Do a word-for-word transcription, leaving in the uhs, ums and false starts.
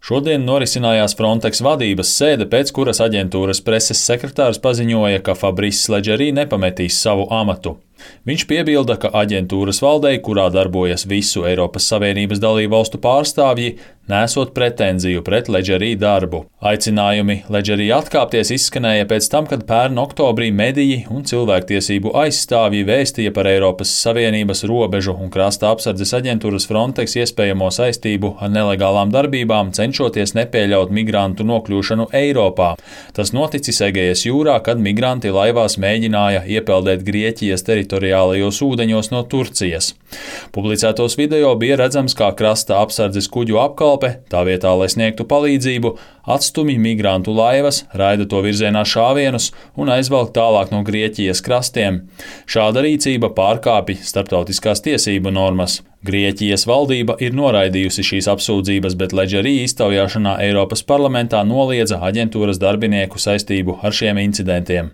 Šodien norisinājās Frontex vadības sēde, pēc kuras aģentūras preses sekretārs paziņoja, ka Fabrice Leggeri nepametīs savu amatu. Viņš piebilda, ka aģentūras valdei, kurā darbojas visu Eiropas Savienības dalībvalstu pārstāvji, nesot pretenziju pret Leggeri darbu. Aicinājumi Leggeri atkāpties izskanēja pēc tam, kad pērn oktobrī mediji un cilvēktiesību aizstāvji vēstīja par Eiropas Savienības robežu un krasta apsardzes aģentūras Frontex iespējamo saistību ar nelegālām darbībām, cenšoties nepieļaut migrantu nokļūšanu Eiropā. Tas noticis Egejas jūrā, kad migranti laivās mēģināja iepeldēt Grieķijas teritoriālajos ūdeņos no Turcijas. Publicētos video bija redzams, kā krasta apsardzes kuģu apkalpe, tā vietā, lai sniegtu palīdzību, atstumj migrantu laivas, raida to virzienā šāvienus un aizvelk tālāk no Grieķijas krastiem. Šāda rīcība pārkāpj starptautiskās tiesību normas. Grieķijas valdība ir noraidījusi šīs apsūdzības, bet Leggeri iztaujāšanā Eiropas parlamentā noliedza aģentūras darbinieku saistību ar šiem incidentiem.